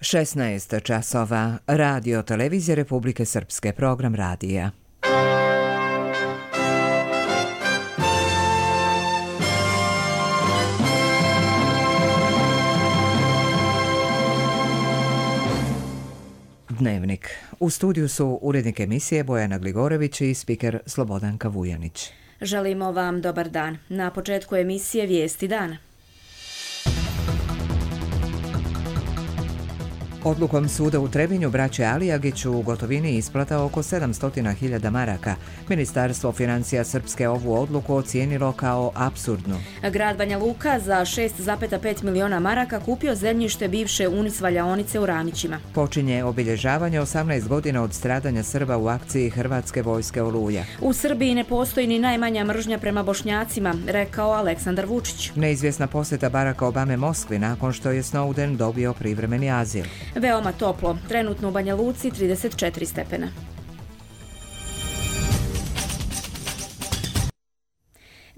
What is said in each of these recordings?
16 časova. Radio Televizije Republike Srpske. Program radija. Dnevnik. U studiju su urednik emisije Bojana Gligorević i spiker Slobodanka Vujanić. Želimo vam dobar dan. Na početku emisije Vijesti dana. Odlukom suda u Trebinju braće Alijagiću u gotovini isplata oko 700.000 maraka. Ministarstvo financija Srpske ovu odluku ocijenilo kao apsurdnu. Grad Banja Luka za 6,5 miliona maraka kupio zemljište bivše Unis valjaonice u Ramićima. Počinje obilježavanje 18 godina od stradanja Srba u akciji Hrvatske vojske Oluja. U Srbiji ne postoji ni najmanja mržnja prema Bošnjacima, rekao Aleksandar Vučić. Neizvjesna posjeta Baracka Obame Moskvi nakon što je Snowden dobio privremeni azil. Veoma toplo, trenutno u Banja Luci 34 stepena.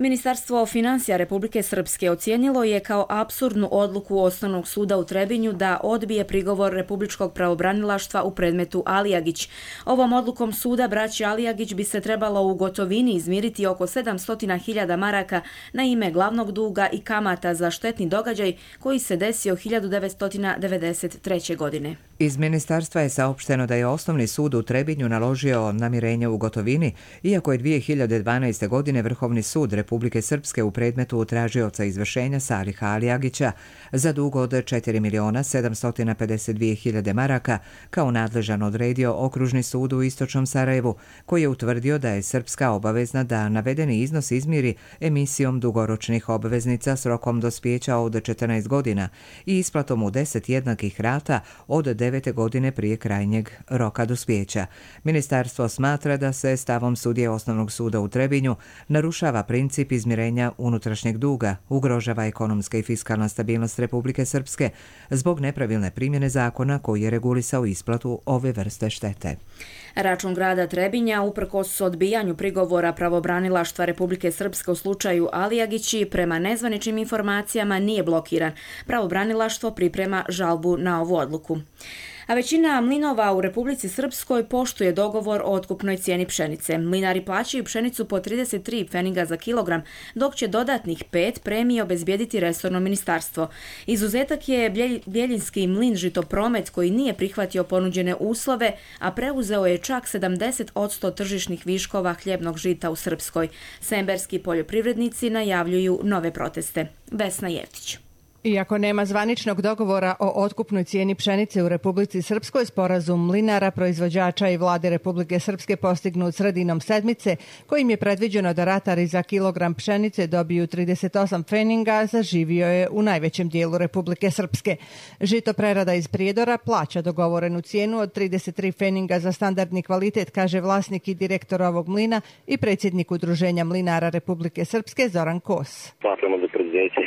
Ministarstvo financija Republike Srpske ocijenilo je kao apsurdnu odluku Osnovnog suda u Trebinju da odbije prigovor Republičkog pravobranilaštva u predmetu Alijagić. Ovom odlukom suda braći Alijagić bi se trebalo u gotovini izmiriti oko 700.000 maraka na ime glavnog duga i kamata za štetni događaj koji se desio 1993. godine. Iz ministarstva je saopšteno da je Osnovni sud u Trebinju naložio namirenje u gotovini, iako je 2012. godine Vrhovni sud Republike Srpske u predmetu tražioca izvršenja Saliha Alijagića za dug od 4.752.000 maraka kao nadležan odredio Okružni sud u Istočnom Sarajevu, koji je utvrdio da je Srpska obavezna da navedeni iznos izmiri emisijom dugoročnih obveznica s rokom dospijeća od 14 godina i isplatom u 10 jednakih rata od 9 godine prije krajnjeg roka dospijeća. Ministarstvo smatra da se stavom sudije Osnovnog suda u Trebinju narušava princip izmirenja unutrašnjeg duga, ugrožava ekonomska i fiskalna stabilnost Republike Srpske zbog nepravilne primjene zakona koji je regulisao isplatu ove vrste štete. Račun grada Trebinja, uprkos odbijanju prigovora pravobranilaštva Republike Srpske u slučaju Alijagići, prema nezvaničnim informacijama nije blokiran. Pravobranilaštvo priprema žalbu na ovu odluku. A većina mlinova u Republici Srpskoj poštuje dogovor o otkupnoj cijeni pšenice. Mlinari plaćaju pšenicu po 33 pfeniga za kilogram, dok će dodatnih 5 premije obezbijediti resorno ministarstvo. Izuzetak je Bjeljinski mlin Žitopromet koji nije prihvatio ponuđene uslove, a preuzeo je čak 70% tržišnih viškova hljebnog žita u Srpskoj. Semberski poljoprivrednici najavljuju nove proteste. Vesna Jevtić. Iako nema zvaničnog dogovora o otkupnoj cijeni pšenice u Republici Srpskoj, sporazum mlinara, proizvođača i vlade Republike Srpske postignut sredinom sedmice, kojim je predviđeno da ratari za kilogram pšenice dobiju 38 pfeninga, zaživio je u najvećem dijelu Republike Srpske. Žito prerada iz Prijedora plaća dogovorenu cijenu od 33 pfeninga za standardni kvalitet, kaže vlasnik i direktor ovog mlina i predsjednik Udruženja mlinara Republike Srpske Zoran Kos. Smatramo da preduzeće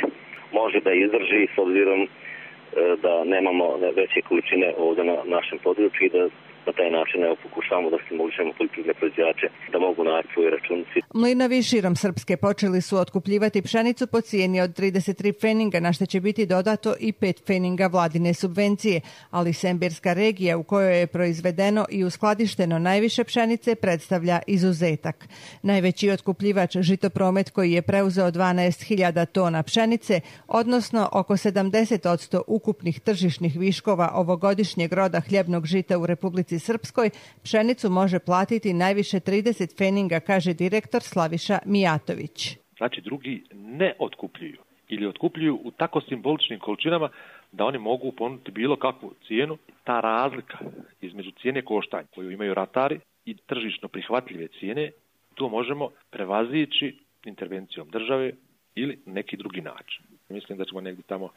može da izdrži s obzirom da nemamo veće količine ovdje na našem području i da na taj način pokušavamo da stimulišemo poljoprivredne proizvođače da mogu naći svoje računice. Mlinovi širom Srpske počeli su otkupljivati pšenicu po cijeni od 33 pfeninga, na što će biti dodato i 5 pfeninga vladine subvencije, ali Semberska regija u kojoj je proizvedeno i uskladišteno najviše pšenice predstavlja izuzetak. Najveći otkupljivač Žitopromet koji je preuzeo 12.000 tona pšenice, odnosno oko 70% ukupnih tržišnih viškova ovogodišnjeg roda hljebnog žita u Republici Srpskoj, pšenicu može platiti najviše 30 pfeninga, kaže direktor Slaviša Mijatović. Znači drugi ne otkupljuju ili otkupljuju u tako simboličnim količinama da oni mogu ponuditi bilo kakvu cijenu. Ta razlika između cijene koštanja koju imaju ratari i tržišno prihvatljive cijene, to možemo prevazići intervencijom države ili neki drugi način. Mislim da ćemo negdje tamo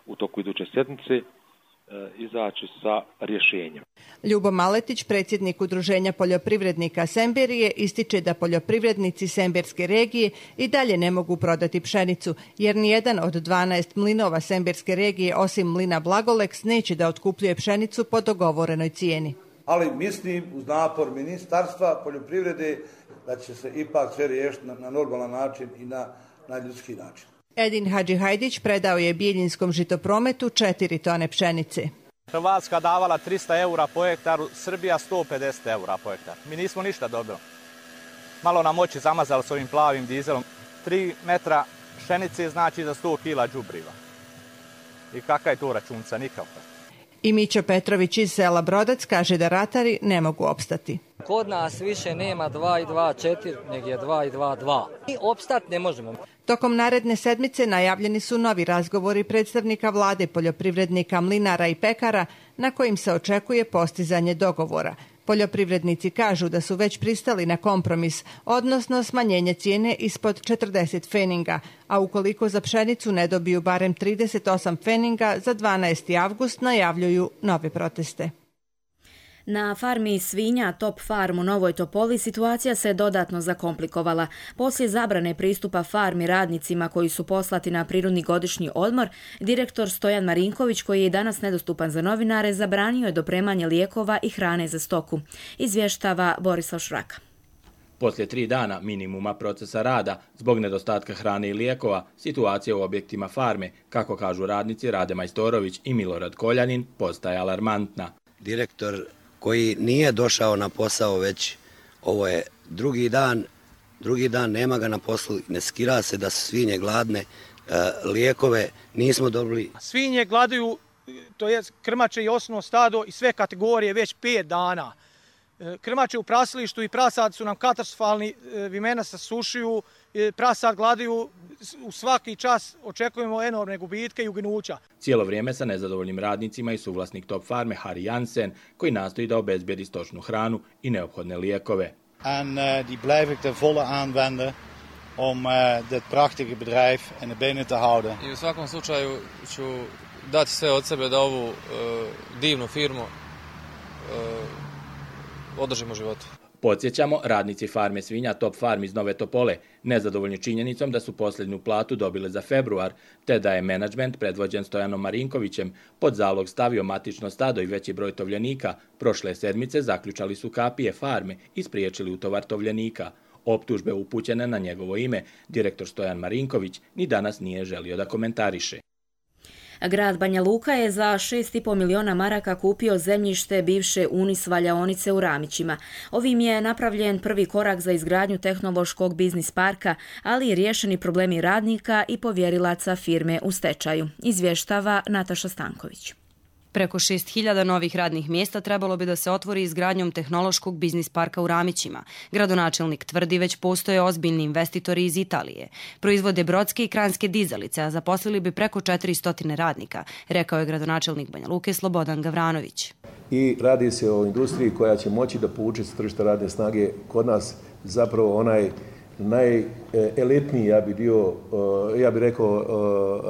u toku iduće sedmice izaći sa rješenjem. Ljubo Maletić, predsjednik Udruženja poljoprivrednika Semberije, ističe da poljoprivrednici Semberske regije i dalje ne mogu prodati pšenicu, jer nijedan od 12 mlinova Semberske regije, osim mlina Blagoleks, neće da otkupljuje pšenicu po dogovorenoj cijeni. Ali mislim uz napor Ministarstva poljoprivrede da će se ipak sve riješiti na normalan način i na ljudski način. Edin Hadžihajdić predao je Biljinskom Žitoprometu 4 tone pšenice. Hrvatska davala 300 eura po hektaru, Srbija 150 eura po hektaru. Mi nismo ništa dobili. Malo nam oči zamazali s ovim plavim dizelom. 3 metra pšenice znači za 100 kila đubriva. I kakva je to računica? Nikakva. I Mićo Petrović iz sela Brodac kaže da ratari ne mogu opstati. Kod nas više nema 2 i 2, 4, nego je 2 i 2, 2. Mi opstat ne možemo. Tokom naredne sedmice najavljeni su novi razgovori predstavnika vlade, poljoprivrednika, mlinara i pekara na kojim se očekuje postizanje dogovora. Poljoprivrednici kažu da su već pristali na kompromis, odnosno smanjenje cijene ispod 40 feninga, a ukoliko za pšenicu ne dobiju barem 38 feninga, za 12. avgust najavljuju nove proteste. Na farmi svinja Top Farm u Novoj Topoli situacija se dodatno zakomplikovala. Poslije zabrane pristupa farmi radnicima koji su poslati na prirodni godišnji odmor, direktor Stojan Marinković, koji je danas nedostupan za novinare, zabranio je dopremanje lijekova i hrane za stoku. Izvještava Borislav Šraka. Poslije 3 dana minimuma procesa rada, zbog nedostatka hrane i lijekova, situacija u objektima farme, kako kažu radnici Rade Majstorović i Milorad Koljanin, postaje alarmantna. Direktor koji nije došao na posao već, ovo je drugi dan nema ga na poslu, ne skira se da su svinje gladne, lijekove nismo dobili. Svinje gladuju, to je krmače i osnovno stado i sve kategorije već 5 dana. Krmače u prasilištu i prasad su nam katastrofalni, vimena se sušuju, prasad gladuju, u svaki čas očekujemo enormne gubitke i uginuća. Cijelo vrijeme sa nezadovoljnim radnicima i suvlasnik Top Farme Harry Jansen, koji nastoji da obezbijedi stočnu hranu i neophodne lijekove. En die blijf ik de volle aanwenden om dit prachtige bedrijf in de benen te houden. I u svakom slučaju ću dati sve od sebe da ovu divnu firmu održimo životu. Podsjećamo, radnici farme svinja Top Farm iz Nove Topole nezadovoljni činjenicom da su posljednju platu dobile za februar, te da je menadžment predvođen Stojanom Marinkovićem pod zalog stavio matično stado i veći broj tovljenika, prošle sedmice zaključali su kapije farme i spriječili utovar tovljenika. Optužbe upućene na njegovo ime, direktor Stojan Marinković ni danas nije želio da komentariše. Grad Banja Luka je za 6,5 miliona maraka kupio zemljište bivše Unis valjaonice u Ramićima. Ovim je napravljen prvi korak za izgradnju tehnološkog biznis parka, ali i riješeni problemi radnika i povjerilaca firme u stečaju. Izvještava Nataša Stanković. Preko 6.000 novih radnih mjesta trebalo bi da se otvori izgradnjom tehnološkog biznis parka u Ramićima. Gradonačelnik tvrdi već postoje ozbiljni investitori iz Italije. Proizvode brodske i kranjske dizalice, a zaposlili bi preko 400 radnika, rekao je gradonačelnik Banja Luke Slobodan Gavranović. I radi se o industriji koja će moći da povuče s tržišta radne snage kod nas zapravo onaj najelitniji, ja bih rekao,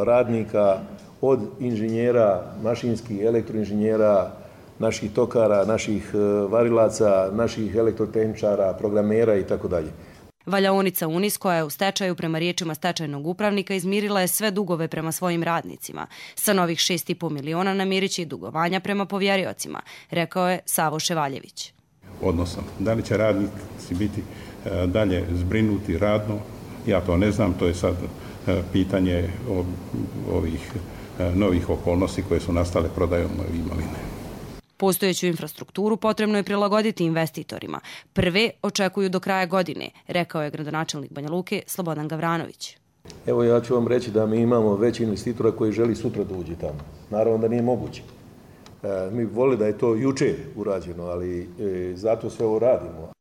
radnika, od inženjera, mašinskih, elektroinženjera, naših tokara, naših varilaca, naših elektrotehničara, programera itd. Valjaonica Unis, koja je u stečaju prema riječima stečajnog upravnika, izmirila je sve dugove prema svojim radnicima. Sa novih 6,5 miliona namirit će i dugovanja prema povjeriocima, rekao je Savo Ševaljević. Odnosno, da li će radnici biti dalje zbrinuti radno, ja to ne znam, to je sad pitanje ovih novih okolnosti koje su nastale prodajom imovine. Postojeću infrastrukturu potrebno je prilagoditi investitorima. Prve očekuju do kraja godine, rekao je gradonačelnik Banja Luke Slobodan Gavranović. Evo, ja ću vam reći da mi imamo već investitora koji želi sutra da uđe tamo. Naravno da nije moguće. Mi voli da je to juče urađeno, ali zato sve ovo radimo.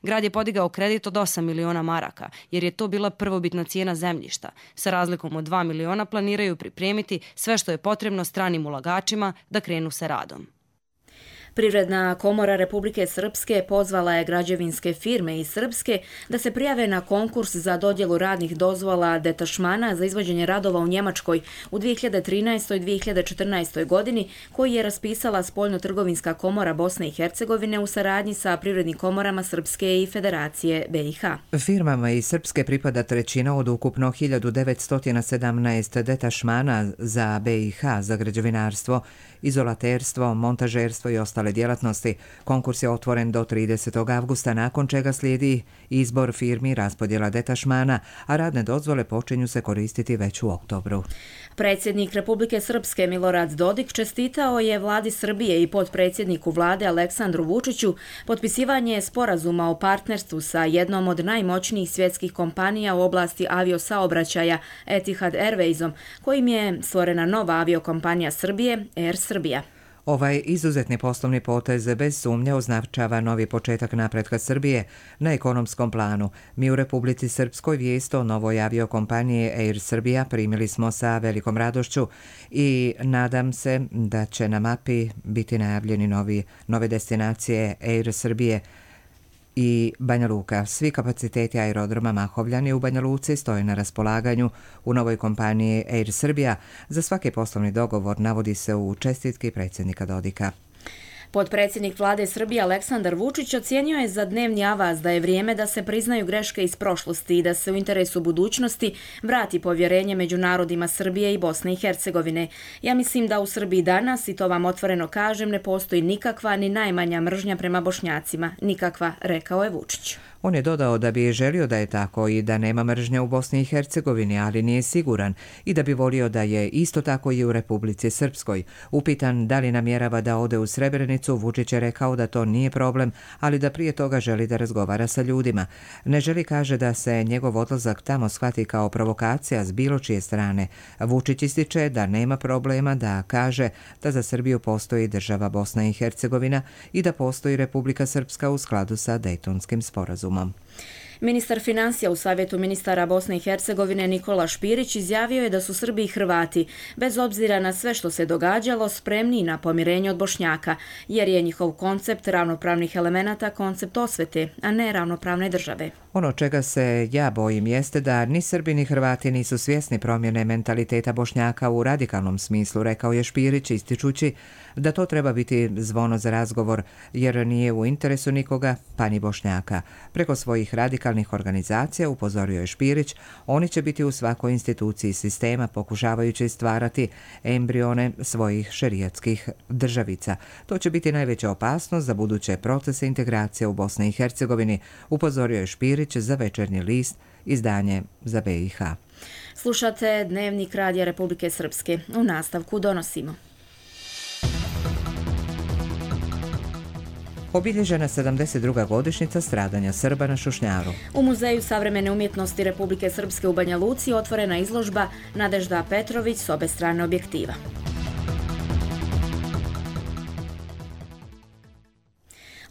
Grad je podigao kredit od 8 miliona maraka, jer je to bila prvobitna cijena zemljišta. Sa razlikom od 2 miliona planiraju pripremiti sve što je potrebno stranim ulagačima da krenu sa radom. Privredna komora Republike Srpske pozvala je građevinske firme iz Srpske da se prijave na konkurs za dodjelu radnih dozvola detašmana za izvođenje radova u Njemačkoj u 2013. i 2014. godini, koji je raspisala Spoljno-trgovinska komora Bosne i Hercegovine u saradnji sa privrednim komorama Srpske i Federacije BiH. Firmama iz Srpske pripada trećina od ukupno 1917 detašmana za BiH za građevinarstvo, izolaterstvo, montažerstvo i ostale djelatnosti. Konkurs je otvoren do 30. avgusta, nakon čega slijedi izbor firmi, raspodjela detašmana, a radne dozvole počinju se koristiti već u oktobru. Predsjednik Republike Srpske Milorad Dodik čestitao je vladi Srbije i potpredsjedniku vlade Aleksandru Vučiću potpisivanje sporazuma o partnerstvu sa jednom od najmoćnijih svjetskih kompanija u oblasti aviosaobraćaja Etihad Airwaysom, kojim je stvorena nova aviokompanija Srbije, Air Srbija. Ovaj izuzetni poslovni potez bez sumnje označava novi početak napretka Srbije na ekonomskom planu. Mi u Republici Srpskoj vijest o novoj aviokompaniji Air Srbija primili smo sa velikom radošću i nadam se da će na mapi biti najavljeni nove destinacije Air Srbije i Banja Luka. Svi kapaciteti aerodroma Mahovljani u Banja Luci stoje na raspolaganju u novoj kompaniji Air Srbija. Za svaki poslovni dogovor navodi se u čestitki predsjednika Dodika. Potpredsjednik vlade Srbije Aleksandar Vučić ocijenio je za dnevni avaz da je vrijeme da se priznaju greške iz prošlosti i da se u interesu budućnosti vrati povjerenje među narodima Srbije i Bosne i Hercegovine. Ja mislim da u Srbiji danas, i to vam otvoreno kažem, ne postoji nikakva ni najmanja mržnja prema Bošnjacima. Nikakva, rekao je Vučić. On je dodao da bi želio da je tako i da nema mržnje u Bosni i Hercegovini, ali nije siguran i da bi volio da je isto tako i u Republici Srpskoj. Upitan da li namjerava da ode u Srebrenicu, Vučić je rekao da to nije problem, ali da prije toga želi da razgovara sa ljudima. Ne želi, kaže, da se njegov odlazak tamo shvati kao provokacija s bilo čije strane. Vučić ističe da nema problema, da kaže da za Srbiju postoji država Bosna i Hercegovina i da postoji Republika Srpska u skladu sa Dejtonskim sporazumom. Ministar financija u Savjetu ministara Bosne i Hercegovine Nikola Špirić izjavio je da su Srbi i Hrvati, bez obzira na sve što se događalo, spremni na pomirenje od Bošnjaka, jer je njihov koncept ravnopravnih elemenata koncept osvete, a ne ravnopravne države. Ono čega se ja bojim jeste da ni Srbi ni Hrvati nisu svjesni promjene mentaliteta Bošnjaka u radikalnom smislu, rekao je Špirić, ističući da to treba biti zvono za razgovor, jer nije u interesu nikoga, pa ni Bošnjaka. Preko svojih radikalnih organizacija, upozorio je Špirić, oni će biti u svakoj instituciji sistema pokušavajući stvarati embrione svojih šerijatskih državica. To će biti najveća opasnost za buduće procese integracije u Bosni i Hercegovini, upozorio je Špirić za Večernji list, izdanje za BiH. Slušate Dnevnik Radija Republike Srpske. U nastavku donosimo. Obilježena 72. godišnjica stradanja Srba na Šušnjaru. U Muzeju savremene umjetnosti Republike Srpske u Banja Luci otvorena izložba Nadežda Petrović s obe strane objektiva.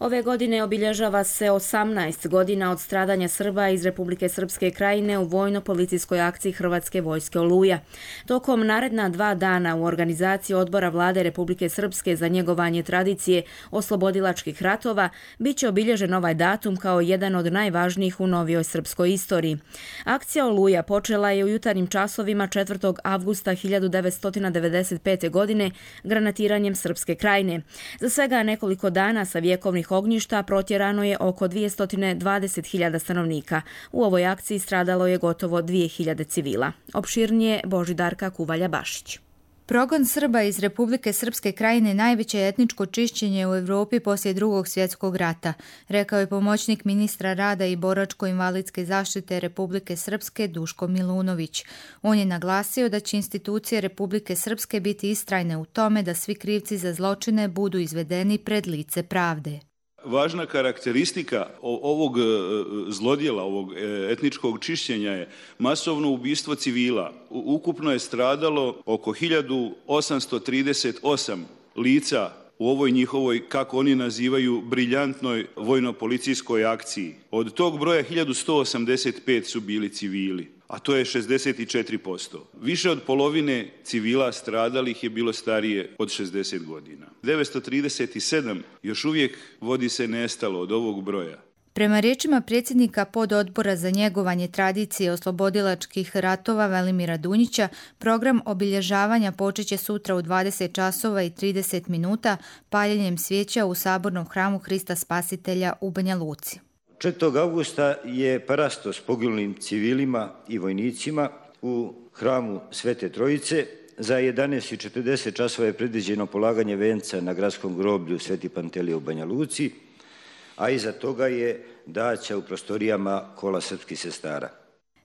Ove godine obilježava se 18 godina od stradanja Srba iz Republike Srpske krajine u vojno-policijskoj akciji Hrvatske vojske Oluja. Tokom naredna 2 dana u organizaciji Odbora vlade Republike Srpske za njegovanje tradicije oslobodilačkih ratova bit će obilježen ovaj datum kao jedan od najvažnijih u novijoj srpskoj istoriji. Akcija Oluja počela je u jutarnjim časovima 4. avgusta 1995. godine granatiranjem Srpske krajine. Za svega nekoliko dana sa vjekovnih ognjišta protjerano je oko 220.000 stanovnika. U ovoj akciji stradalo je gotovo 2.000 civila. Opširnije Božidarka Kuvalja-Bašić. Progon Srba iz Republike Srpske krajine najveće je etničko čišćenje u Evropi poslije Drugog svjetskog rata, rekao je pomoćnik ministra rada i boračko-invalidske zaštite Republike Srpske Duško Milunović. On je naglasio da će institucije Republike Srpske biti istrajne u tome da svi krivci za zločine budu izvedeni pred lice pravde. Važna karakteristika ovog zlodjela, ovog etničkog čišćenja je masovno ubistvo civila. Ukupno je stradalo oko 1838 lica u ovoj njihovoj, kako oni nazivaju, briljantnoj vojno-policijskoj akciji. Od tog broja 1185 su bili civili, a to je 64%. Više od polovine civila stradalih je bilo starije od 60 godina. 937 još uvijek vodi se nestalo od ovog broja. Prema riječima predsjednika pododbora za njegovanje tradicije oslobodilačkih ratova Velimira Dunjića, program obilježavanja počeće sutra u 20 časova i 30 minuta paljenjem svijeća u Sabornom hramu Hrista Spasitelja u Banja Luci. 4. augusta je parasto s poginulim civilima i vojnicima u hramu Svete Trojice. Za 11:40 časova je predviđeno polaganje venca na gradskom groblju Sveti Pantelije u Banja Luci, a iza toga je daća u prostorijama Kola srpskih sestara.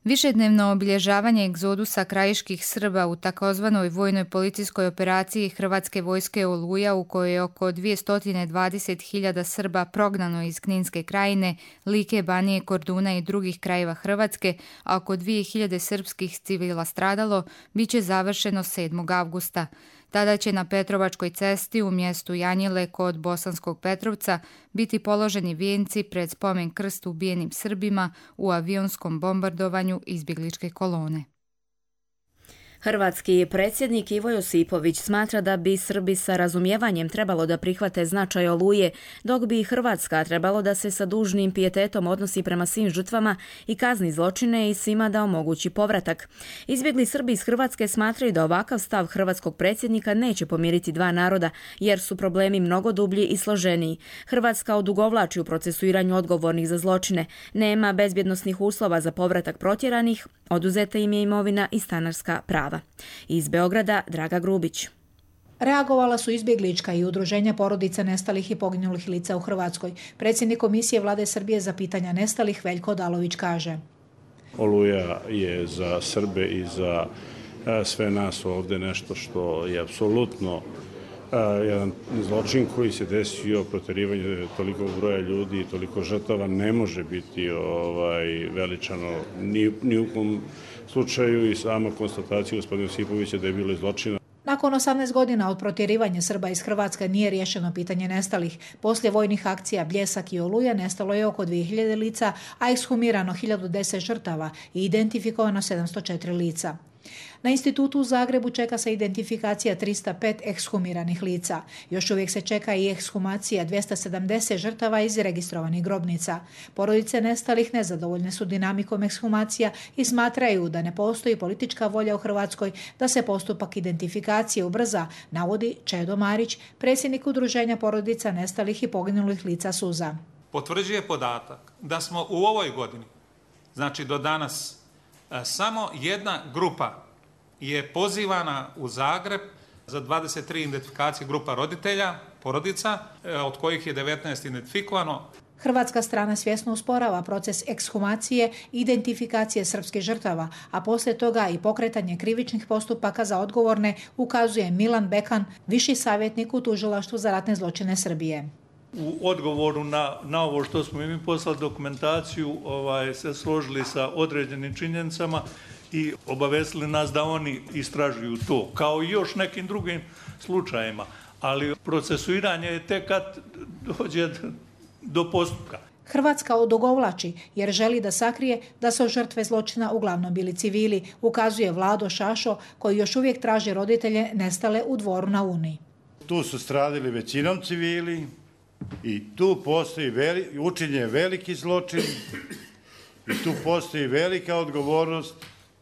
Višednevno obilježavanje egzodusa krajiških Srba u takozvanoj vojnoj policijskoj operaciji Hrvatske vojske Oluja, u kojoj je oko 220.000 Srba prognano iz Kninske krajine, Like, Banije, Korduna i drugih krajeva Hrvatske, a oko 2.000 srpskih civila stradalo, bit će završeno 7. avgusta. Tada će na Petrovačkoj cesti u mjestu Janjile kod Bosanskog Petrovca biti položeni vijenci pred spomen krst ubijenim Srbima u avionskom bombardovanju izbjegličke kolone. Hrvatski predsjednik Ivo Josipović smatra da bi Srbi sa razumijevanjem trebalo da prihvate značaj Oluje, dok bi Hrvatska trebalo da se sa dužnim pijetetom odnosi prema svim žrtvama i kazni zločine i svima da omogući povratak. Izbjegli Srbi iz Hrvatske smatraju da ovakav stav hrvatskog predsjednika neće pomiriti dva naroda, jer su problemi mnogo dublji i složeniji. Hrvatska odugovlači u procesuiranju odgovornih za zločine, nema bezbjednosnih uslova za povratak protjeranih, oduzeta im je imovina i stanarska prava. Iz Beograda, Draga Grubić. Reagovala su izbjeglička i udruženja porodica nestalih i poginulih lica u Hrvatskoj. Predsjednik Komisije Vlade Srbije za pitanja nestalih Veljko Odalović kaže: Oluja je za Srbe i za sve nas ovdje nešto što je apsolutno jedan zločin koji se desio, protjerivanje tolikog broja ljudi i toliko žrtava ne može biti veličano ni u kom slučaju, i sama konstatacija gospodina Josipovića da je bilo zločina. Nakon 18 godina od protjerivanja Srba iz Hrvatske nije riješeno pitanje nestalih. Poslije vojnih akcija Bljesak i Oluja nestalo je oko 2000 lica, a ekshumirano 1010 žrtava i identifikovano 704 lica. Na institutu u Zagrebu čeka se identifikacija 305 ekshumiranih lica. Još uvijek se čeka i ekshumacija 270 žrtava iz registrovanih grobnica. Porodice nestalih nezadovoljne su dinamikom ekshumacija i smatraju da ne postoji politička volja u Hrvatskoj da se postupak identifikacije ubrza, navodi Čedo Marić, predsjednik udruženja porodica nestalih i poginulih lica Suza. Potvrđuje podatak da smo u ovoj godini, znači do danas, samo jedna grupa je pozivana u Zagreb za 23 identifikacije grupa roditelja, porodica, od kojih je 19 identifikovano. Hrvatska strana svjesno usporava proces ekshumacije i identifikacije srpskih žrtava, a poslije toga i pokretanje krivičnih postupaka za odgovorne, ukazuje Milan Bekan, viši savjetnik u Tužilaštvu za ratne zločine Srbije. U odgovoru na ovo što smo mi poslali dokumentaciju, se složili sa određenim činjenicama i obavestili nas da oni istražuju to, kao i još nekim drugim slučajima. Ali procesuiranje je tek kad dođe do postupka. Hrvatska odugovlači jer želi da sakrije da su žrtve zločina uglavnom bili civili, ukazuje Vlado Šašo, koji još uvijek traži roditelje nestale u Dvoru na Uni. Tu su stradili većinom civili i tu postoji učinjen veliki zločin i tu postoji velika odgovornost.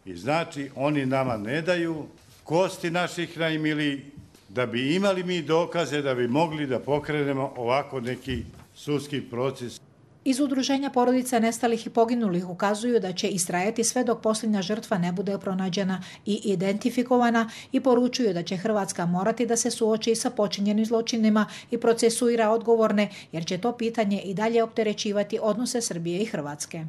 I znači oni nama ne daju kosti naših najmilijih da bi imali mi dokaze da bi mogli da pokrenemo ovako neki sudski proces. Iz udruženja porodica nestalih i poginulih ukazuju da će istrajati sve dok posljednja žrtva ne bude pronađena i identifikovana i poručuju da će Hrvatska morati da se suoči sa počinjenim zločinima i procesuira odgovorne, jer će to pitanje i dalje opterećivati odnose Srbije i Hrvatske.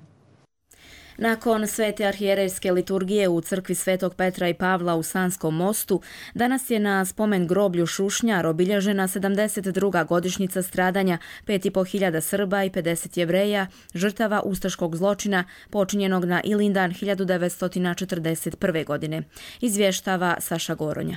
Nakon svete arhijerejske liturgije u crkvi Svetog Petra i Pavla u Sanskom mostu, danas je na spomen groblju Šušnjar obilježena 72. godišnjica stradanja 5.500 Srba i 50 Jevreja, žrtava ustaškog zločina počinjenog na Ilindan 1941. godine. Izvještava Saša Goronja.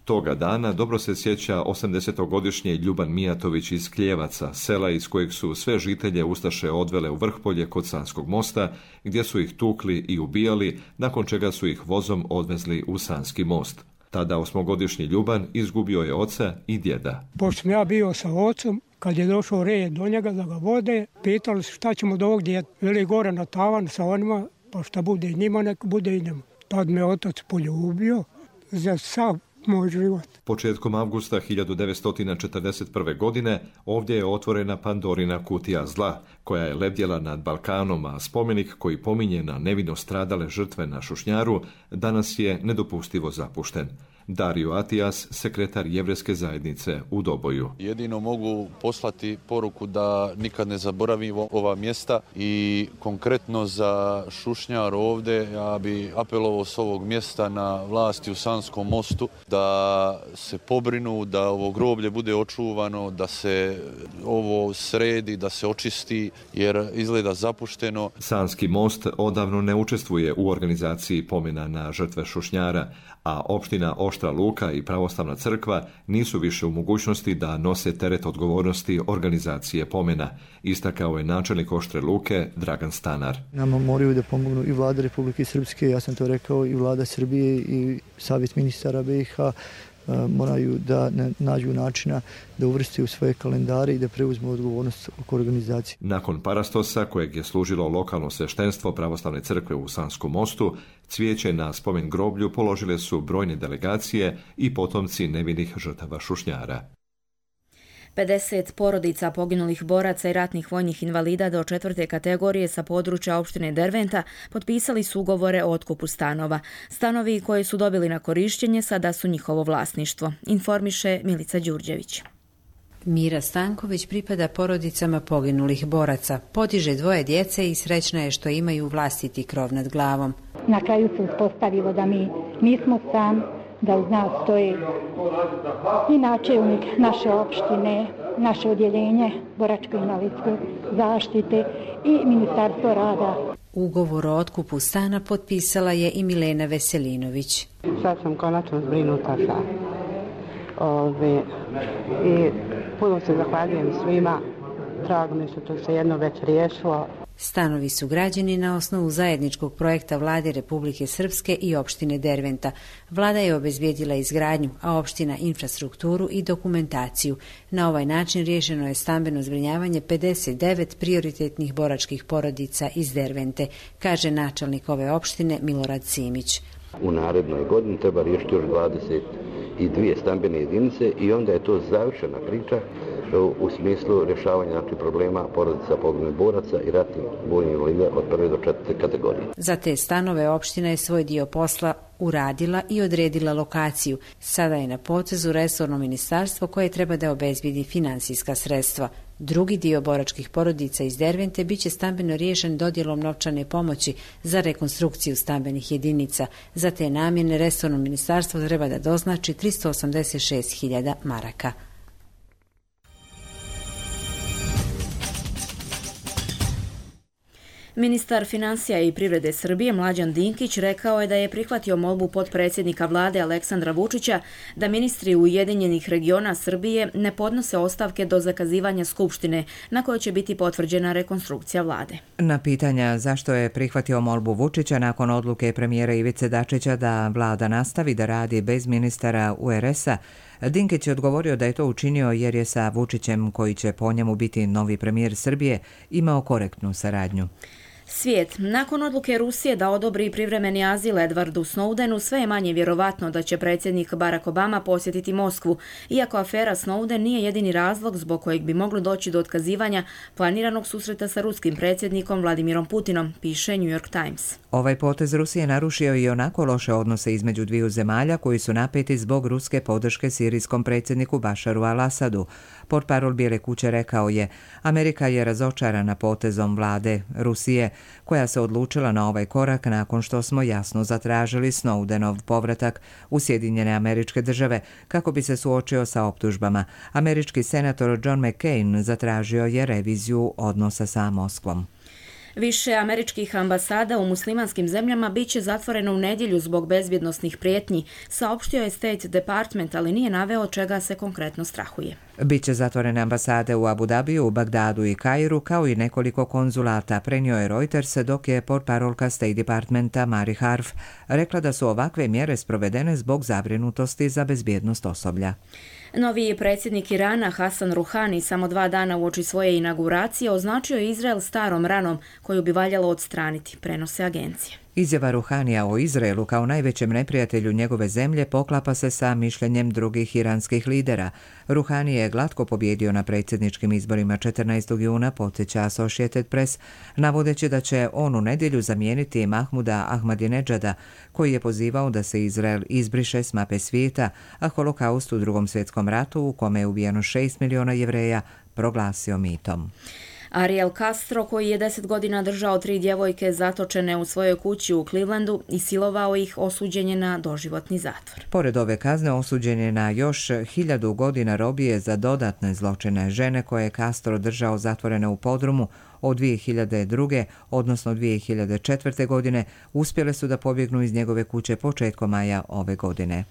Toga dana dobro se sjeća 80-godišnji Ljuban Mijatović iz Kljevaca, sela iz kojeg su sve žitelje ustaše odvele u Vrhpolje kod Sanskog mosta, gdje su ih tukli i ubijali, nakon čega su ih vozom odvezli u Sanski most. Tada 8-godišnji Ljuban izgubio je oca i djeda. Pošto sam ja bio sa ocom, kad je došao red do njega da ga vode, pitali su šta ćemo do ovog djeta. Veli gore na tavan sa onima, pa šta bude njima, nek bude i njima. Tad me otac poljubio za sav moj život. Početkom avgusta 1941. godine ovdje je otvorena Pandorina kutija zla, koja je lebdjela nad Balkanom, a spomenik koji pominje na nevino stradale žrtve na Šušnjaru danas je nedopustivo zapušten. Dario Atijas, sekretar Jevrejske zajednice u Doboju. Jedino mogu poslati poruku da nikad ne zaboravimo ova mjesta i konkretno za Šušnjar ovdje ja bi apelovao s ovog mjesta na vlasti u Sanskom mostu da se pobrinu, da ovo groblje bude očuvano, da se ovo sredi, da se očisti jer izgleda zapušteno. Sanski most odavno ne učestvuje u organizaciji pomena na žrtve Šušnjara, a opština Oštra Luka i Pravoslavna crkva nisu više u mogućnosti da nose teret odgovornosti organizacije pomena, istakao je načelnik Oštre Luke Dragan Stanar. Nama moraju da pomognu i vlada Republike Srpske, ja sam to rekao, i vlada Srbije i savjet ministara BiH, moraju da nađu načina da uvrste u svoje kalendare i da preuzmu odgovornost oko organizacije. Nakon parastosa, kojeg je služilo lokalno sveštenstvo Pravoslavne crkve u Sanskom mostu, cvijeće na spomen groblju položile su brojne delegacije i potomci nevinih žrtava Šušnjara. 50 porodica poginulih boraca i ratnih vojnih invalida do 4. kategorije sa područja opštine Derventa potpisali su ugovore o otkupu stanova. Stanovi koje su dobili na korištenje sada su njihovo vlasništvo, informiše Milica Đurđević. Mira Stanković pripada porodicama poginulih boraca, podiže 2 djece i srećna je što imaju vlastiti krov nad glavom. Na kraju se uspostavilo da mi nismo sam, da uz nas stoji i načelnik naše opštine, naše odjeljenje boračko-invalidske zaštite i Ministarstvo rada. Ugovor o otkupu stana potpisala je i Milena Veselinović. Sad sam konačno zbrinuta sa i puno se zahvaljujem svima. Drago mi što to se jedno već riješilo. Stanovi su građeni na osnovu zajedničkog projekta Vlade Republike Srpske i opštine Derventa. Vlada je obezbijedila izgradnju, a opština infrastrukturu i dokumentaciju. Na ovaj način riješeno je stambeno zbrinjavanje 59 prioritetnih boračkih porodica iz Dervente, kaže načelnik ove opštine Milorad Simić. U narednoj godini treba riješiti još 22 stambene jedinice i onda je to završena priča u smislu rješavanja problema porodica poginulih boraca i ratnih vojnih invalida od 1. do 4. kategorije. Za te stanove opština je svoj dio posla uradila i odredila lokaciju. Sada je na potezu resorno ministarstvo koje treba da obezbedi finansijska sredstva. Drugi dio boračkih porodica iz Dervente biće stambeno riješen dodjelom novčane pomoći za rekonstrukciju stambenih jedinica. Za te namjene resorno ministarstvo treba da doznači 386.000 maraka. Ministar financija i privrede Srbije Mlađan Dinkić rekao je da je prihvatio molbu potpredsjednika vlade Aleksandra Vučića da ministri Ujedinjenih regiona Srbije ne podnose ostavke do zakazivanja skupštine na kojoj će biti potvrđena rekonstrukcija vlade. Na pitanja zašto je prihvatio molbu Vučića nakon odluke premijera Ivice Dačića da vlada nastavi da radi bez ministara URS-a, Dinkić je odgovorio da je to učinio jer je sa Vučićem, koji će po njemu biti novi premijer Srbije, imao korektnu saradnju. Svijet. Nakon odluke Rusije da odobri privremeni azil Edwardu Snowdenu, sve je manje vjerovatno da će predsjednik Barack Obama posjetiti Moskvu, iako afera Snowden nije jedini razlog zbog kojeg bi moglo doći do otkazivanja planiranog susreta sa ruskim predsjednikom Vladimirom Putinom, piše New York Times. Ovaj potez Rusije narušio i onako loše odnose između dviju zemalja koji su napeti zbog ruske podrške sirijskom predsjedniku Bašaru al-Asadu. Portparol Bijele kuće rekao je: Amerika je razočarana potezom vlade Rusije, koja se odlučila na ovaj korak nakon što smo jasno zatražili Snowdenov povratak u Sjedinjene Američke Države kako bi se suočio sa optužbama. Američki senator John McCain zatražio je reviziju odnosa sa Moskvom. Više američkih ambasada u muslimanskim zemljama biće zatvoreno u nedjelju zbog bezbjednosnih prijetnji, saopštio je State Department, ali nije naveo čega se konkretno strahuje. Biće zatvorene ambasade u Abu Dhabiju, Bagdadu i Kairu, kao i nekoliko konzulata, prenio je Reuters, dok je portparolka State Departmenta Mari Harf rekla da su ovakve mjere sprovedene zbog zabrinutosti za bezbjednost osoblja. Novi predsjednik Irana Hasan Rouhani samo 2 dana uoči svoje inauguracije označio je Izrael starom ranom koju bi valjalo odstraniti, prenose agencije. Izjava Ruhanija o Izraelu kao najvećem neprijatelju njegove zemlje poklapa se sa mišljenjem drugih iranskih lidera. Ruhani je glatko pobjedio na predsjedničkim izborima 14. juna, podsjeća Associated Press, navodeći da će on u nedjelju zamijeniti Mahmuda Ahmadinejada, koji je pozivao da se Izrael izbriše s mape svijeta, a holokaust u Drugom svjetskom ratu, u kome je ubijeno 6 miliona Jevreja, proglasio mitom. Ariel Castro, koji je 10 godina držao 3 djevojke zatočene u svojoj kući u Clevelandu i silovao ih, osuđen je na doživotni zatvor. Pored ove kazne, osuđen je na još 1000 godina robije za dodatne zločine. Žene koje je Castro držao zatvorene u podrumu od 2002. odnosno 2004. godine uspjele su da pobjegnu iz njegove kuće početkom maja ove godine.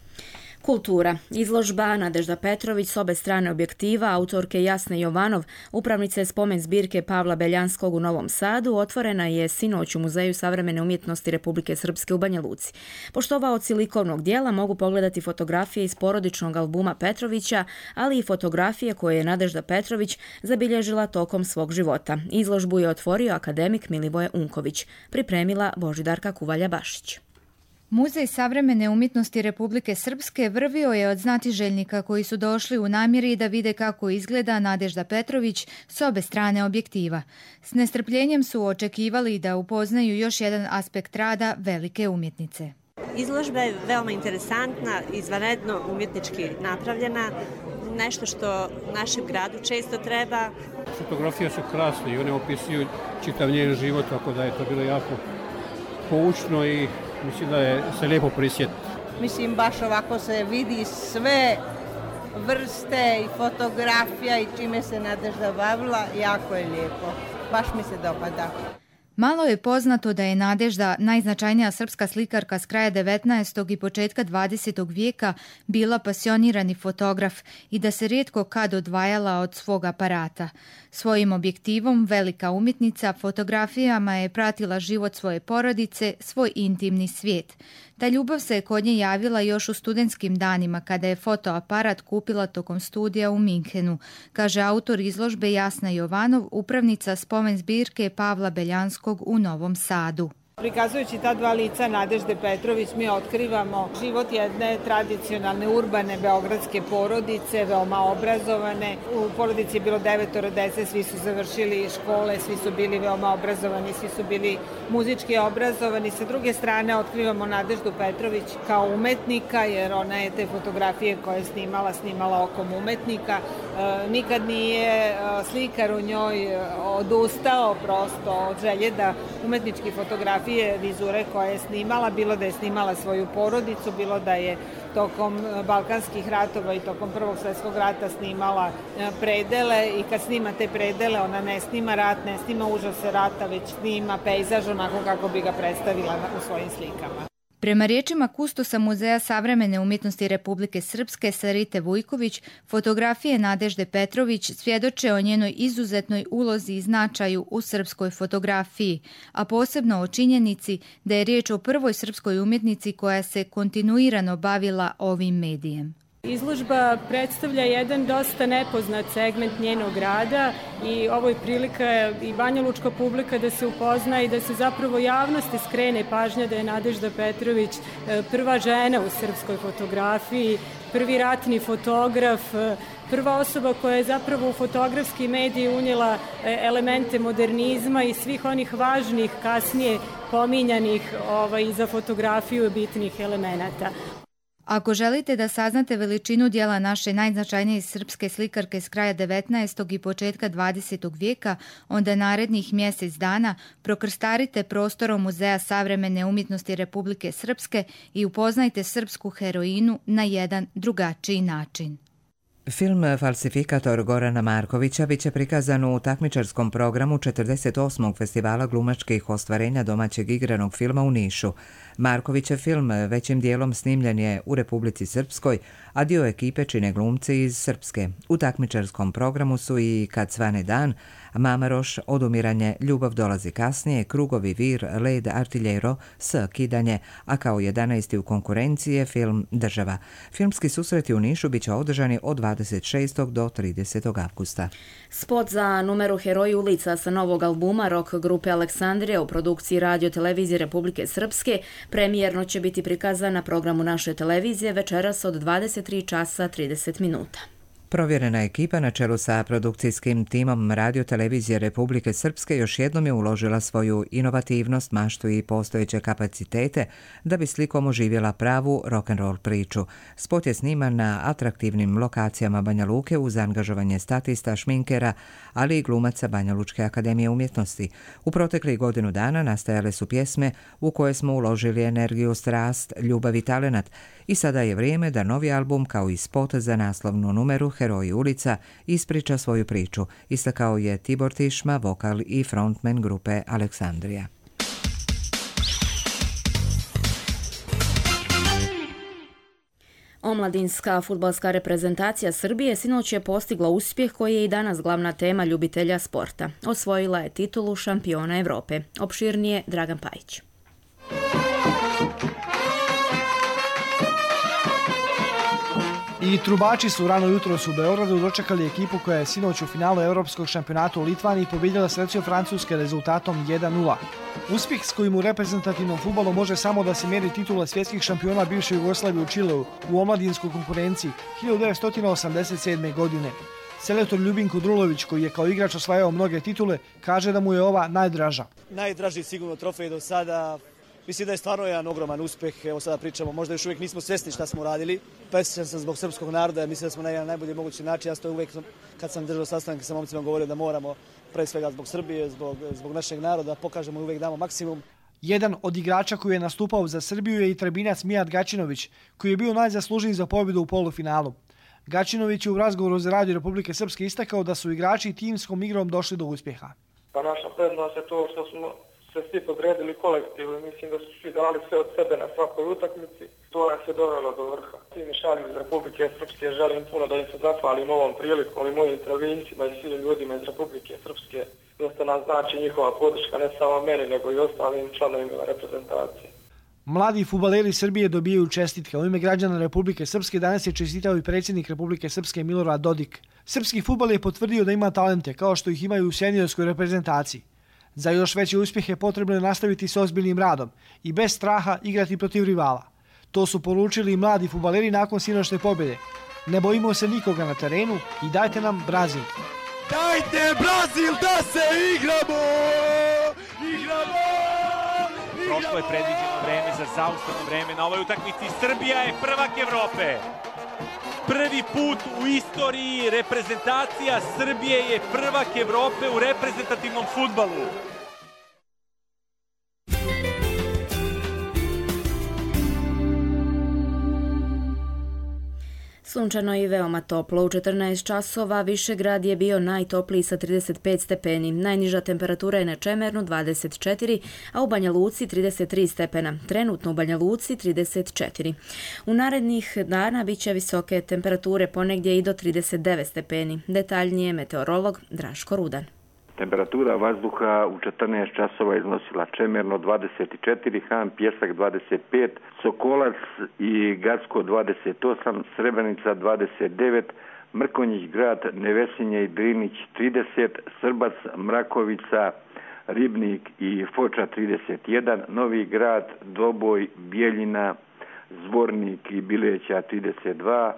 Kultura. Izložba Nadežda Petrović s obe strane objektiva, autorke Jasne Jovanov, upravnice spomen zbirke Pavla Beljanskog u Novom Sadu, otvorena je sinoć u Muzeju savremene umjetnosti Republike Srpske u Banja Luci. Poštovaoci likovnog dijela mogu pogledati fotografije iz porodičnog albuma Petrovića, ali i fotografije koje je Nadežda Petrović zabilježila tokom svog života. Izložbu je otvorio akademik Milivoje Unković, pripremila Božidarka Kuvalja-Bašić. Muzej savremene umjetnosti Republike Srpske vrvio je od znatiželjnika koji su došli u namjeri da vide kako izgleda Nadežda Petrović s obe strane objektiva. S nestrpljenjem su očekivali da upoznaju još jedan aspekt rada velike umjetnice. Izložba je veoma interesantna, izvanredno umjetnički napravljena, nešto što našem gradu često treba. Fotografije su krasne i one opisuju čitav njen život, tako da je to bilo jako poučno i mislim da je se lijepo prisjetiti. Mislim, baš ovako se vidi sve vrste i fotografija i čime se Nadežda bavila, jako je lijepo. Baš mi se dopada. Malo je poznato da je Nadežda, najznačajnija srpska slikarka s kraja 19. i početka 20. vijeka, bila pasionirani fotograf i da se rijetko kad odvajala od svog aparata. Svojim objektivom velika umjetnica fotografijama je pratila život svoje porodice, svoj intimni svijet. Ta ljubav se kod nje javila još u studentskim danima kada je fotoaparat kupila tokom studija u Minhenu, kaže autor izložbe Jasna Jovanov, upravnica spomen zbirke Pavla Beljanskog u Novom Sadu. Prikazujući ta dva lica Nadežde Petrović, mi otkrivamo život jedne tradicionalne urbane beogradske porodice, veoma obrazovane. U porodici je bilo 9 dece, svi su završili škole, svi su bili veoma obrazovani, svi su bili muzički obrazovani. Sa druge strane otkrivamo Nadeždu Petrović kao umetnika, jer ona je te fotografije koje je snimala okom umetnika. Nikad nije slikar u njoj odustao prosto od želje da umetnički fotografije vizure koje je snimala, bilo da je snimala svoju porodicu, bilo da je tokom Balkanskih ratova i tokom Prvog svjetskog rata snimala predele i kad snima te predele ona ne snima rat, ne snima užase rata, već snima pejzaž onako kako bi ga predstavila u svojim slikama. Prema riječima kustosa Muzeja savremene umjetnosti Republike Srpske Sarite Vujković, fotografije Nadežde Petrović svjedoče o njenoj izuzetnoj ulozi i značaju u srpskoj fotografiji, a posebno o činjenici da je riječ o prvoj srpskoj umjetnici koja se kontinuirano bavila ovim medijem. Izložba predstavlja jedan dosta nepoznat segment njenog rada i ovo je prilika i banjalučka publika da se upozna i da se zapravo javnosti skrene pažnja da je Nadežda Petrović prva žena u srpskoj fotografiji, prvi ratni fotograf, prva osoba koja je zapravo u fotografski medij unijela elemente modernizma i svih onih važnih, kasnije pominjanih za fotografiju bitnih elemenata. Ako želite da saznate veličinu dijela naše najznačajnije srpske slikarke s kraja 19. i početka 20. vijeka, onda narednih mjesec dana prokrstarite prostorom Muzeja savremene umjetnosti Republike Srpske i upoznajte srpsku heroinu na jedan drugačiji način. Film Falsifikator Gorana Markovića biće prikazan u takmičarskom programu 48. festivala glumačkih ostvarenja domaćeg igranog filma u Nišu. Markovićev film većim dijelom snimljen je u Republici Srpskoj, a dio ekipe čine glumci iz Srpske. U takmičarskom programu su i Kad svane dan, Mamaroš, Odumiranje, Ljubav dolazi kasnije, Krugovi, Vir, Led, Artiljero, S, Kidanje, a kao 11. u konkurenciji je film Država. Filmski susreti u Nišu biće održani od 20 26. do 30. avgusta. Spot za numeru Heroji ulica sa novog albuma rock grupe Aleksandrija u produkciji Radio televizije Republike Srpske premijerno će biti prikazan na programu naše televizije večeras od 23 časa 30 minuta. Provjerena ekipa na čelu sa produkcijskim timom Radio televizije Republike Srpske još jednom je uložila svoju inovativnost, maštu i postojeće kapacitete da bi slikom oživjela pravu rock'n'roll priču. Spot je sniman na atraktivnim lokacijama Banja Luke uz angažovanje statista, šminkera, ali i glumaca Banja Lučke akademije umjetnosti. U proteklih godinu dana nastajale su pjesme u koje smo uložili energiju, strast, ljubav i talenat i sada je vrijeme da novi album kao i spot za naslovnu numeru Heroji ulica ispriča svoju priču, istakao je Tibor Tišma, vokal i frontman grupe Aleksandrija. Omladinska fudbalska reprezentacija Srbije sinoć je postigla uspjeh koji je i danas glavna tema ljubitelja sporta. Osvojila je titulu šampiona Evrope. Opširnije Dragan Pajić. I trubači su rano jutros u Beogradu dočekali ekipu koja je sinoć u finalu Evropskog šampionata u Litvaniji pobjedila selekciju Francuske rezultatom 1:0. Uspjeh s kojim u reprezentativnom fudbalu može samo da se mjeri titula svjetskih šampiona bivše Jugoslavije u Čileu u omladinskoj konkurenciji 1987. godine. Selektor Ljubin Kudrulović, koji je kao igrač osvajao mnoge titule, kaže da mu je ova najdraža. Najdraži sigurno trofej do sada. Mislim da je stvarno jedan ogroman uspjeh. Evo sada pričamo, možda još uvijek nismo svjesni šta smo radili. Presrećan sam zbog srpskog naroda, mislim da smo na jedan najbolji mogući način. Ja sam uvijek, kad sam držao sastanke sa momcima, govorio da moramo, pre svega zbog Srbije, zbog našeg naroda, pokažemo i uvijek damo maksimum. Jedan od igrača koji je nastupao za Srbiju je i Trebinac Mijat Gačinović, koji je bio najzaslužniji za pobjedu u polufinalu. Gačinović je u razgovoru za Radio Republike Srpske istakao da su igrači timskom igrom došli do uspjeha. Pa naša prednost je to što smo se svi podredili kolektivu i mislim da su svi dali sve od sebe na svakoj utakmici. To nas je dovelo do vrha. Svi mi šalju iz Republike Srpske, želim puno da im se zahvalim ovom prilikom i mojim travincima i svim ljudima iz Republike Srpske. Dosta nam znači njihova podrška, ne samo meni, nego i ostalim članovima reprezentacije. Mladi fudbaleri Srbije dobijaju čestitke. U ime građana Republike Srpske danas je čestitao i predsjednik Republike Srpske Milorad Dodik. Srpski fudbal je potvrdio da ima talente, kao što ih imaju u seniorskoj reprezentaciji. Za još veće uspjehe potrebno je nastaviti s ozbiljnim radom i bez straha igrati protiv rivala. To su poručili i mladi fudbaleri nakon sinoćne pobjede. Ne bojimo se nikoga na terenu i dajte nam Brazil. Dajte Brazil da se igramo! Prošlo je predviđeno vreme za zaustavno vreme na ovoj utakmici. Srbija je prvak Evrope. Prvi put u istoriji reprezentacija Srbije je prvak Evrope u reprezentativnom fudbalu. Sunčano i veoma toplo. U 14 časova Višegrad je bio najtopliji sa 35 stepeni. Najniža temperatura je na Čemernu 24, a u Banja Luci 33 stepena. Trenutno u Banja Luci 34. U narednih dana bit će visoke temperature, ponegdje i do 39 stepeni. Detaljnije meteorolog Draško Rudan. Temperatura vazduha u 14 časova iznosila Čemerno 24, Han Pjesak 25, Sokolac i Gacko 28, Srebrenica 29, Mrkonjić Grad, Nevesinje i Drinić 30, Srbac, Mrakovica, Ribnik i Foča 31, Novi Grad, Doboj, Bijeljina, Zvornik i Bileća 32,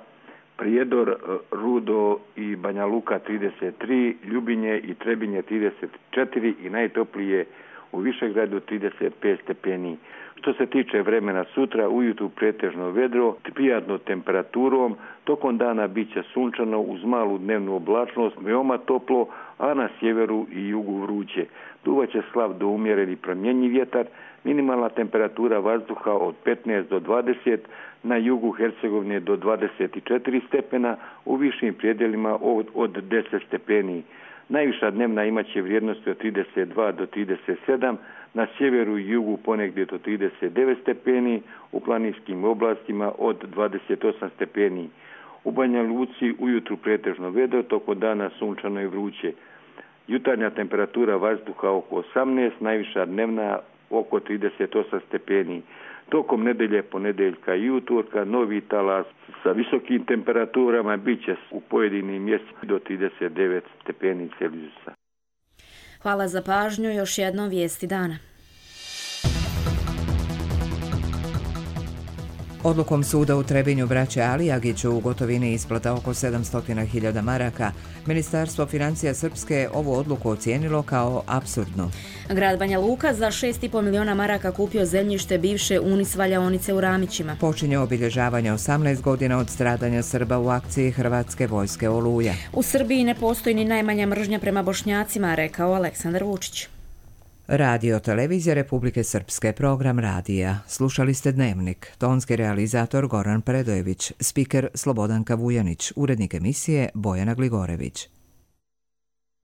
Prijedor, Rudo i Banja Luka 33, Ljubinje i Trebinje 34 i najtoplije u Višegradu 35 stepeni. Što se tiče vremena sutra, ujutru pretežno vedro, prijatno temperaturom, tokom dana bit će sunčano uz malu dnevnu oblačnost, veoma toplo, a na sjeveru i jugu vruće. Duvaće slab do umjereni promjenjiv vjetar, minimalna temperatura vazduha od 15 do 20, na jugu Hercegovine do 24 stepena, u višim predjelima od 10 stepeni. Najviša dnevna imaće vrijednosti od 32 do 37, na sjeveru i jugu ponegdje do 39 stepeni, u planinskim oblastima od 28 stepeni. U Banja Luci ujutru pretežno vedro, tokom dana sunčano i vruće. Jutarnja temperatura vazduha oko 18, najviša dnevna oko 38 stepeni. Tokom nedelje, ponedeljka i utorka novi talas sa visokim temperaturama bit će u pojedinim mjestima do 39 stepeni Celzijusa. Hvala za pažnju, još jednom vijesti dana. Odlukom suda u Trebinju braće Alijagiću u gotovini isplata oko 700.000 maraka, Ministarstvo financija Srpske ovu odluku ocijenilo kao apsurdnu. Grad Banja Luka za 6,5 miliona maraka kupio zemljište bivše Unis valjaonice u Ramićima. Počinje obilježavanje 18 godina od stradanja Srba u akciji Hrvatske vojske Oluja. U Srbiji ne postoji ni najmanja mržnja prema Bošnjacima, rekao Aleksandar Vučić. Radio Televizija Republike Srpske, program radija. Slušali ste Dnevnik. Tonski realizator Goran Predojević, spiker Slobodanka Vujanić, urednik emisije Bojana Gligorević.